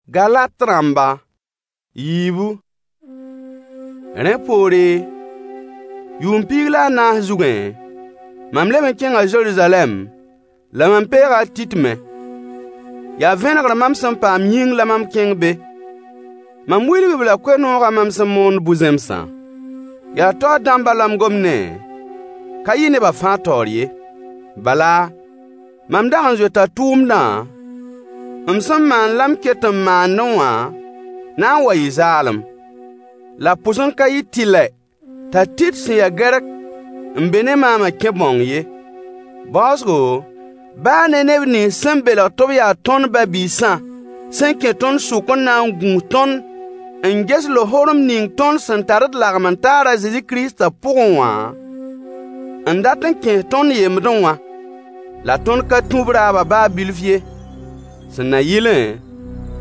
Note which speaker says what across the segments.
Speaker 1: Galat rãmba yiibu. Rẽ poore, yʋʋm piig la a naas zugẽ, mam leb n kẽnga Zeruzalɛm, la mam peega a Tit me. Yaa vẽnegr mam sẽn paam yĩng la mam kẽng be. Mam wilg-b la koe-noogã mam sẽn moond bu-zẽmsã. Yaa taoor dãmbã la m gomd ne, ka yɩ neba fãa taoor ye. Bala, mam dag n zoeta tʋʋmdã m sẽn maan la m ket n maandẽ wã na n wa yɩ zaalem. La b pʋs n ka yɩ tɩlɛ t'a Tit sẽn ya Gɛrk n be ne maamã kẽ bãong ye. Baoosgo, baa ne neb nins sẽn belg tɩ b yaa tõnd ba-biisã sẽn kẽ tõnd sʋk n na n gũus tõnd n ges lohorem ning tõnd sẽn tar d lagem-n-taar a Zezi Kiristã pʋgẽ wã, n dat n kẽes tõnd yembdẽ wã. La tõnd ka tũ b raabã baa bilf ye, sẽn na yɩlẽ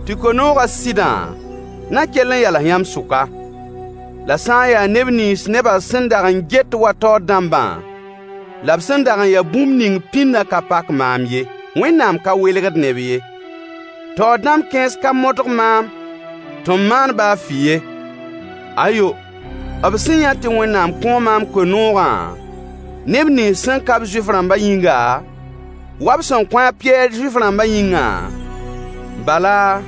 Speaker 1: tɩ koe-noogã sɩdã na kell n yals yãmb sʋka. La sã n yaa neb nins nebã sẽn dag n get wa taoor dãmbã, la b sẽn dag n ya bũmb ning pĩndã ka pak maam ye. Wẽnnaam ka welgd neb ye. Taoor dãmb kãens ka modg maam tɩ m maan baa fɩ ye. Ayo, b sẽn yã tɩ Wẽnnaam kõo maam koe-noogã neb nins sẽn ka-b Zuif-rãmbã yĩnga, wa b sẽn kõ a Pɩyɛɛr Zuif-rãmbã yĩngã, bala,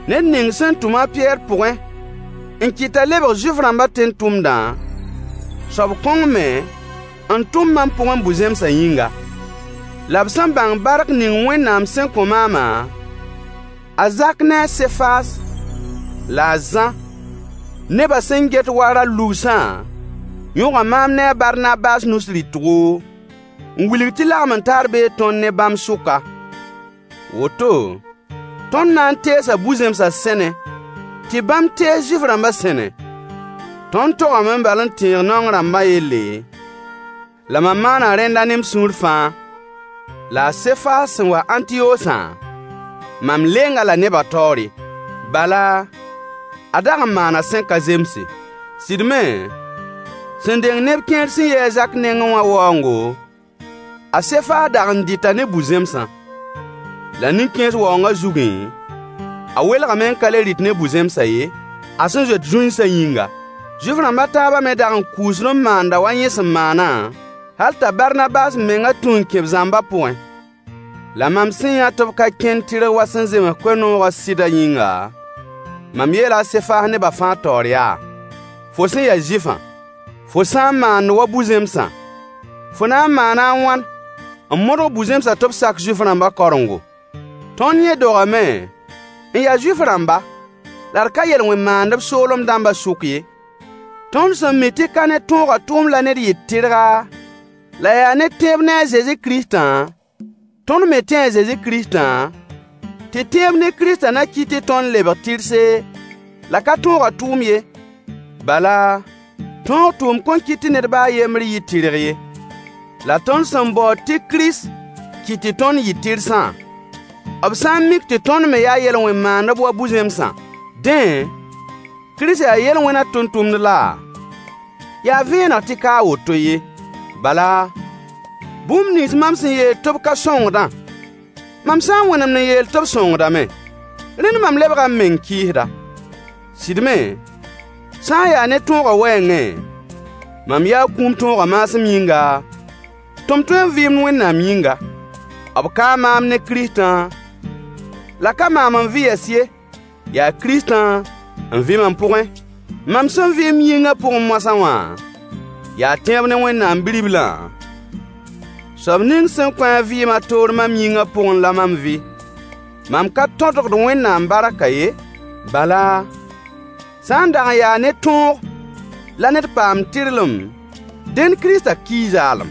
Speaker 1: ned ning sẽn tʋm a Pɩyɛɛr pʋgẽ n kɩt t'a lebg Zuif-rãmbã tẽn-tʋmdã, soab kõng me n tʋm mam pʋgẽ bu-zẽmsã yĩnga. La b sẽn bãng bark ning Wẽnnaam sẽn kõ maamã, a Zak ne a Sefas la a Zã, nebã sẽn get wa ra-lugsã, yõga maam ne a Barnabas nus rɩtgo, n wilg tɩ lagem-n-taar bee tõnd ne bãmb sʋka. Woto, tõnd na n teesa bu-zẽmsã sẽne, tɩ bãmb tees Zuif-rãmbã sẽne. Tõnd togame bal n tẽeg naong rãmbã yelle, la mam maana rẽnda ne m sũur fãa. La a Sefas sẽn wa Ãntiyosã, mam leng-a la nebã taoore. Bala, a dag n maana sẽn ka zemse. Sɩd me, sẽn deng neb kẽer sẽn yi a Zak nengẽ wã waoongo, a Sefas dag n dɩta ne bu-zẽmsã. La nin-kẽes waoongã zugẽ, a welgame n ka le rɩt ne bu-zẽmsã ye, a sẽn zoet zũinsã yĩnga. Zuif-rãmb a taabã me dag n kʋʋsd n maanda wa yẽ sẽn maanã, hal t'a Barnabas mengã tũ n kẽ b zãmbã pʋgẽ. La mam sẽn yã tɩ b ka kẽnd tɩrg wa sẽn zems koe-noogã sɩdã yĩnga, mam yeela a Sefas nebã fãa taoor yaa: Fo sẽn ya Zuifã, fo sã n maand wa bu-zẽmsã, fo na n maana a wãn n modg bu-zẽmsã tɩ b sak Zuif-rãmbã karengo? Tõnd yẽ dogame n ya Zuif-rãmba, la d ka yel-wẽn-maandb soolem dãmbã sʋk ye. Tõnd sẽn mi tɩ ka ne tõogã tʋʋm la ned yɩ tɩrga, la yaa ne tẽeb ne a Zezi Kiristã, tõnd me tẽe a Zezi Kiristã, tɩ tẽeb ne Kiristã na kɩt tɩ tõnd lebg tɩrse, la ka tõogã tʋʋm ye. Bala, tõog tʋʋm kõn kɩt tɩ ned baa a yembr yɩ tɩrg ye. La tõnd sẽn baood tɩ Kirist kɩt tɩ tõnd yɩ tɩrsã, b sã n mik tɩ tõnd me yaa yel-wẽn-maandb wa bu-zẽmsã, dẽ, Kirist yaa yel-wẽnã tʋmtʋmd laa? Yaa vẽeneg tɩ ka a woto ye. Bala, bũmb nins mam sẽn yeel tɩ b ka sõngdã, mam sã n wẽnemd n yeel tɩ b sõngdame, rẽnd mam lebga m meng kɩɩsda. Sɩd me, sã n yaa ne tõogã wɛɛngẽ, mam yaa kũum tõogã maasem yĩnga, tɩ m tõe n vɩɩmd Wẽnnaam yĩnga. B kaa maam ne Kiristã, la ka maam n vɩ yɛs ye, yaa Kiristã n vɩ mam pʋgẽ. Mam sẽn vɩ m yĩngã pʋgẽ moasã wã, yaa tẽeb ne Wẽnnaam Bi-riblã, soab ning sẽn kõ a vɩɩm a toor mam yĩngã pʋgẽ la mam vɩ. Mam ka tõdgd Wẽnnaam barkã ye. Bala, sã n dag n yaa ne tõog la ned paamd tɩrlem, dẽnd Kiristã kii zaalem.